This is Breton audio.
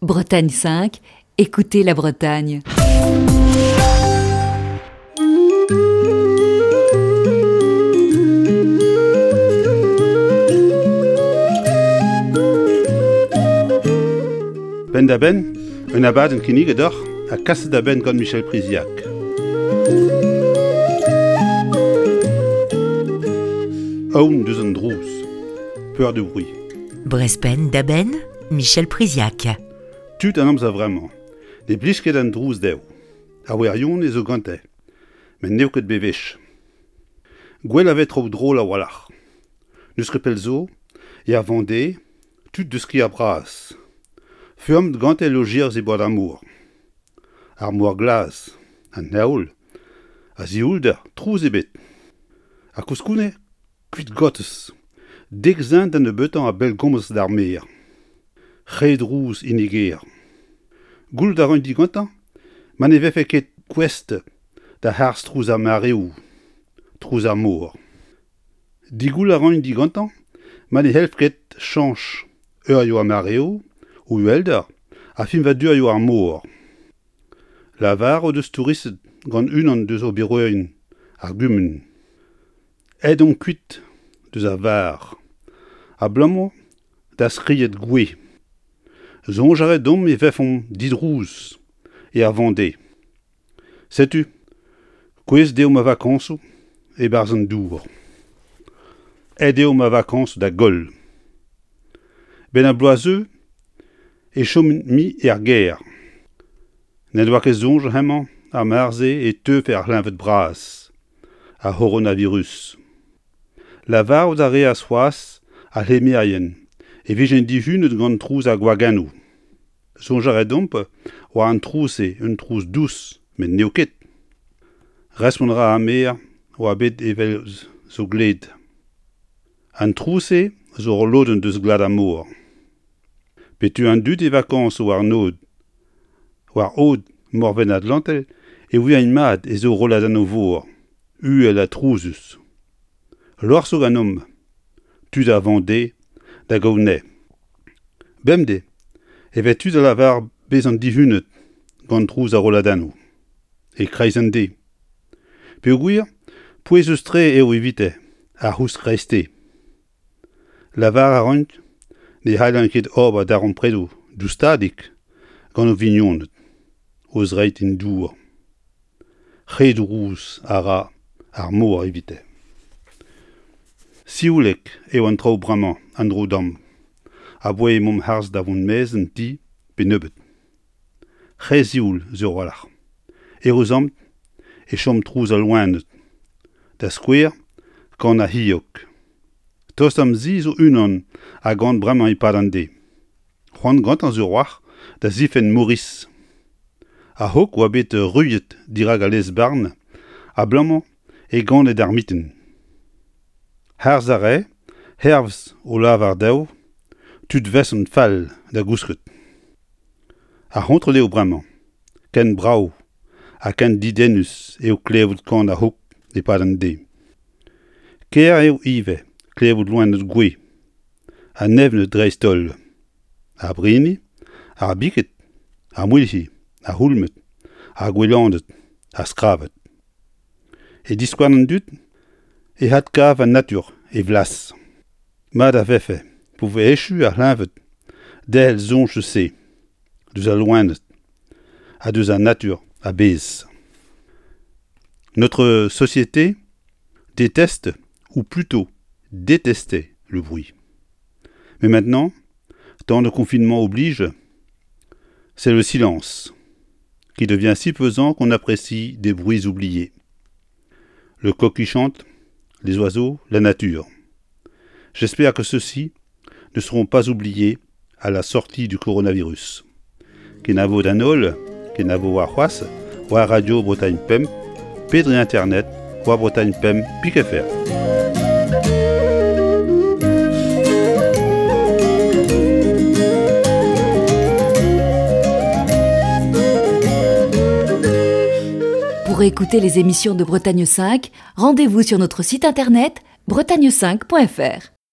Bretagne 5, écoutez la Bretagne. Penn-da-benn, un abadenn kinniget deoc'h ha kaset da benn gant Michel Priziac. Aon deus an drouz. Peur du bruit. Brezpenn da benn, Michel Priziac. Tud an amzer vremañ ne blij ket an drouz dezho. Ar wirionez zo gante, met n'eo ket bewech. Gwell a vez traoù drol a-walc'h. N'eus ket pell zo, er Vendée, tud deus kêr bras. Feurmet gante lojeiz e bord ar mor. Ar mor glas, an heol, a zioulder, trouz ebet. Ha koulskoude, kuit gotez, dek zen da nebeutañ a bellgomz d'ar maer. Re drouz hini gêr. Goulout a ran digantañ ma ne vefe ket gouest da harz trouz ar mareoù, trouz ar mor. Digoul a ran digantañ ma ne c'hellf ket chañch eurioù ar mareoù, o uhelder ha fiñvadurioù ar mor. Lavar o deus touristed gant unan deus oberourien ar gumun. Aet omp kuit deus ar var abalamour da skriet gouez. Soñj a rae deomp e vefomp didrouz er Vendée. Setu, kouezhet eo ma vakañsoù e-barzh an dour. Aet eo ma vakañsoù da goll. 'Benn ar bloaz 'zeu e chomin mui er gêr. N'en doa ket soñj hemañ ar marse e teufe ar c'hleñved bras, ar c'horonavirus. Lavarout a reas c'hoazh ar c'hlemmerien e vijent dihunet gant trouz ar gwagennoù. Soñj a rae deomp oa an trouz-se un trouz dous, met n'eo ket. Respont a ra ar maer oa bet evel zo gled. An trouz-se zo ul lodenn deus glad ar mor. Pe tu an dud e vakañsoù war an aod, war aod Morven Atlantel e ouiaint mat ez eo rolladennoù-vor, uhel ha trouzus. Lorc'h zo ganeomp, tud a Vendée da gaout anezhe. Bemdez e vez tud a lavar bezañ dihunet gant trouz ar rolladennoù, e-kreiz an deiz. Peogwir pouezus-tre eo evite ar c'housk kreisteiz. Lavar a raint ne c'hallint ket ober darempredoù doustadik gant o vignoned, o zreid en dour. Re drouz a ra ar mor evite. Sioulek eo an traoù bremañ en-dro deomp, aboae emaomp harz da vont maez an ti pe nebeut. Re sioul sur a-walc'h. Eüruzamant e chom trouz al loened. Da skouer, kan ar c'hilhog. Tost d'am zi zo unan a gan bremañ e-pad an deiz. C'hoant gantañ sur a-walc'h da zifenn Maurice. Ar c'hog oa bet ruilhet dirak al lez-varn abalamour e gane d'ar mitin. Harz a rae, hervez o lavar dezho, tud 'vezont fall da gousket. Ar c'hontrol eo bremañ, ken brav ha ken dedennus eo klevout kan ar c'hog e-pad an deiz. Kaer eo ivez klevout loened gouez, an evned dreist-holl, ar brini, ar biked, ar mouilc'hi, ar c'houlmed, ar gouelaned, ar skraved. E diskouarn an dud e adkav an natur e vlas. Mat a vefe pa vo echu ar c'hleñved derc'hel soñj eus se, deus al loened ha deus an natur a-bezh. Notre société déteste, ou plutôt détestait le bruit. Mais maintenant, tant de confinement oblige, c'est le silence qui devient si pesant qu'on apprécie des bruits oubliés. Le coq qui chante, les oiseaux, la nature. J'espère que ceux-ci ne seront pas oubliés à la sortie du coronavirus. Kenavo d'an holl, kenavo warc'hoazh, war Radio Bretagne Pemp, pe dre internet war Bretagne Pemp pik FR. Pour écouter les émissions de Bretagne 5, rendez-vous sur notre site internet bretagne5.fr.